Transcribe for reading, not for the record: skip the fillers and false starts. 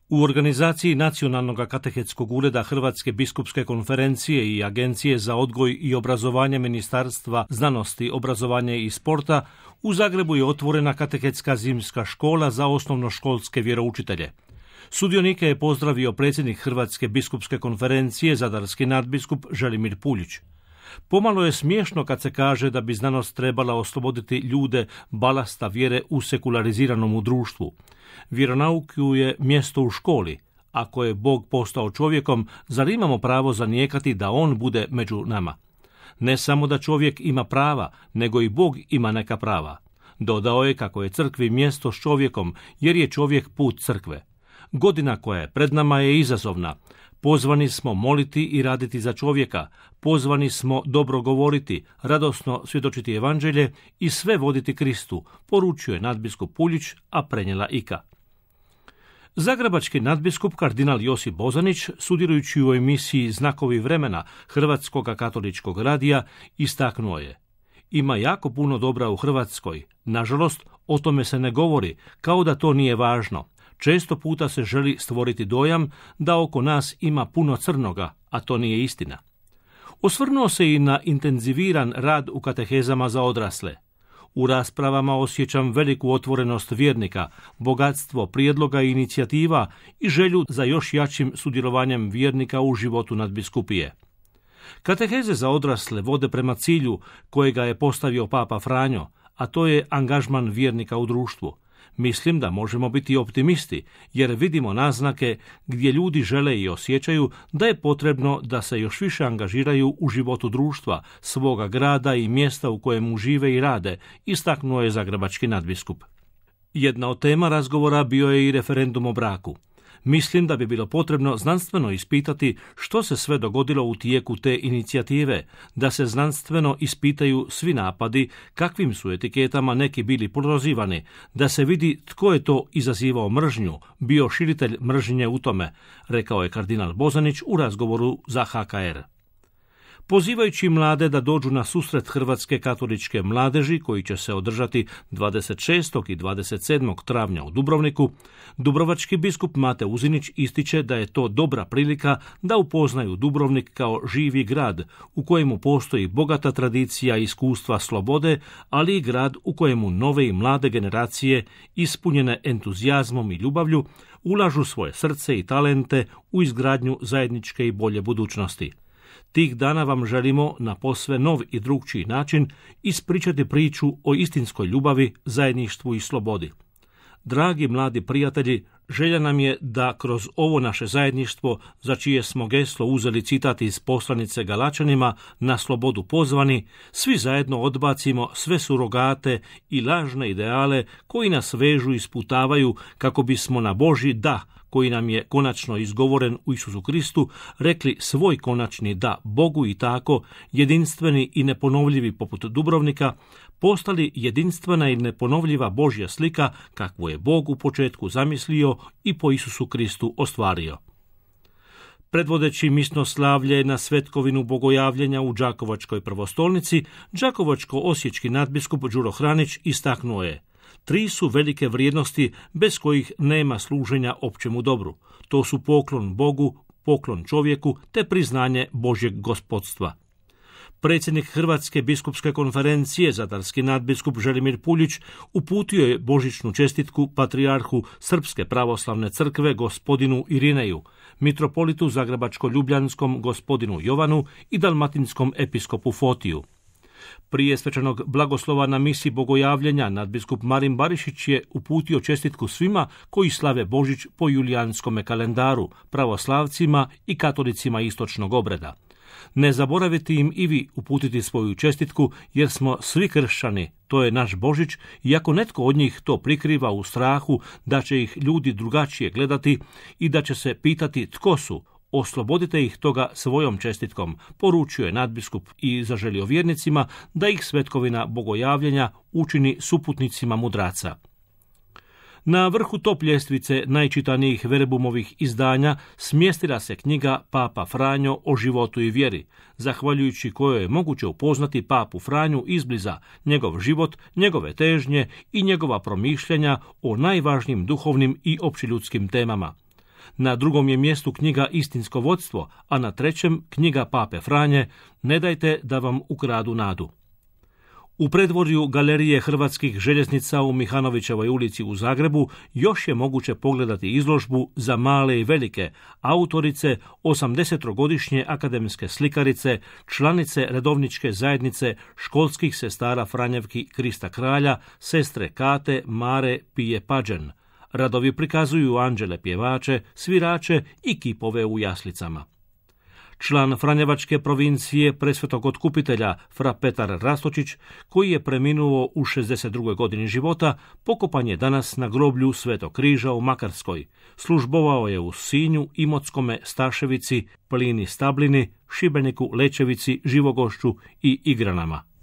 U organizaciji Nacionalnog katehetskog ureda Hrvatske biskupske konferencije i Agencije za odgoj i obrazovanje Ministarstva znanosti, obrazovanja i sporta u Zagrebu je otvorena katehetska zimska škola za osnovnoškolske vjeroučitelje. Sudionike je pozdravio predsjednik Hrvatske biskupske konferencije, zadarski nadbiskup Želimir Puljić. Pomalo je smiješno kad se kaže da bi znanost trebala osloboditi ljude balasta vjere u sekulariziranom društvu. Vjeronauku je mjesto u školi. Ako je Bog postao čovjekom, zar imamo pravo zanijekati da on bude među nama? Ne samo da čovjek ima prava, nego i Bog ima neka prava. Dodao je kako je crkvi mjesto s čovjekom, jer je čovjek put crkve. Godina koja je pred nama je izazovna. Pozvani smo moliti i raditi za čovjeka, pozvani smo dobro govoriti, radosno svjedočiti evanđelje i sve voditi Kristu, poručuje nadbiskup Puljić, a prenijela Ika. Zagrebački nadbiskup kardinal Josip Bozanić, sudjelujući u emisiji Znakovi vremena Hrvatskog katoličkog radija, istaknuo je: ima jako puno dobra u Hrvatskoj, nažalost o tome se ne govori, kao da to nije važno. Često puta se želi stvoriti dojam da oko nas ima puno crnoga, a to nije istina. Osvrnuo se i na intenziviran rad u katehezama za odrasle. U raspravama osjećam veliku otvorenost vjernika, bogatstvo prijedloga i inicijativa i želju za još jačim sudjelovanjem vjernika u životu nadbiskupije. Kateheze za odrasle vode prema cilju kojega je postavio Papa Franjo, a to je angažman vjernika u društvu. Mislim da možemo biti optimisti, jer vidimo naznake gdje ljudi žele i osjećaju da je potrebno da se još više angažiraju u životu društva, svoga grada i mjesta u kojemu žive i rade, istaknuo je zagrebački nadbiskup. Jedna od tema razgovora bio je i referendum o braku. Mislim da bi bilo potrebno znanstveno ispitati što se sve dogodilo u tijeku te inicijative, da se znanstveno ispitaju svi napadi, kakvim su etiketama neki bili prozivani, da se vidi tko je to izazivao mržnju, bio širitelj mržnje u tome, rekao je kardinal Bozanić u razgovoru za HKR. Pozivajući mlade da dođu na susret Hrvatske katoličke mladeži, koji će se održati 26. i 27. travnja u Dubrovniku, dubrovački biskup Mate Uzinić ističe da je to dobra prilika da upoznaju Dubrovnik kao živi grad u kojemu postoji bogata tradicija i iskustva slobode, ali i grad u kojemu nove i mlade generacije, ispunjene entuzijazmom i ljubavlju, ulažu svoje srce i talente u izgradnju zajedničke i bolje budućnosti. Tih dana vam želimo na posve nov i drukčiji način ispričati priču o istinskoj ljubavi, zajedništvu i slobodi. Dragi mladi prijatelji, želja nam je da kroz ovo naše zajedništvo, za čije smo geslo uzeli citat iz poslanice Galačanima, na slobodu pozvani, svi zajedno odbacimo sve surogate i lažne ideale koji nas vežu i sputavaju kako bismo na Božji da, koji nam je konačno izgovoren u Isusu Kristu, rekli svoj konačni da Bogu i tako, jedinstveni i neponovljivi poput Dubrovnika, postali jedinstvena i neponovljiva Božja slika kakvu je Bog u početku zamislio i po Isusu Kristu ostvario. Predvodeći misnoslavlje na svetkovinu bogojavljenja u Đakovačkoj prvostolnici, đakovačko-osječki nadbiskup Đuro Hranić istaknuo je: 3 su velike vrijednosti bez kojih nema služenja općemu dobru. To su poklon Bogu, poklon čovjeku te priznanje Božjeg gospodstva. Predsjednik Hrvatske biskupske konferencije, zadarski nadbiskup Želimir Puljić, uputio je božićnu čestitku patrijarhu Srpske pravoslavne crkve gospodinu Irineju, mitropolitu zagrebačko-ljubljanskom gospodinu Jovanu i dalmatinskom episkopu Fotiju. Prije svečanog blagoslova na misi bogojavljenja nadbiskup Marin Barišić je uputio čestitku svima koji slave Božić po julijanskome kalendaru, pravoslavcima i katolicima istočnog obreda. Ne zaboravite im i vi uputiti svoju čestitku, jer smo svi kršćani, to je naš Božić, i ako netko od njih to prikriva u strahu da će ih ljudi drugačije gledati i da će se pitati tko su, oslobodite ih toga svojom čestitkom, poručio je nadbiskup i zaželio vjernicima da ih svetkovina bogojavljenja učini suputnicima mudraca. Na vrhu top ljestvice najčitanijih verbumovih izdanja smjestila se knjiga Papa Franjo o životu i vjeri, zahvaljujući kojoj je moguće upoznati Papu Franju izbliza, njegov život, njegove težnje i njegova promišljanja o najvažnijim duhovnim i općeljudskim temama. Na drugom je mjestu knjiga Istinsko vodstvo, a na trećem knjiga Pape Franje Ne dajte da vam ukradu nadu. U predvorju Galerije hrvatskih željeznica u Mihanovićevoj ulici u Zagrebu još je moguće pogledati izložbu Za male i velike, autorice 80-godišnje akademske slikarice, članice redovničke zajednice školskih sestara Franjevki Krista Kralja, sestre Kate, Mare, Pije Pađen. Radovi prikazuju anđele pjevače, svirače i kipove u jaslicama. Član Franjevačke provincije Presvetog Otkupitelja fra Petar Rastočić, koji je preminuo u 62. godini života, pokopan je danas na groblju Svetog križa u Makarskoj. Službovao je u Sinju, Imotskome, Staševici, Plini Stablini, Šibeniku, Lečevici, Živogošću i Igranama.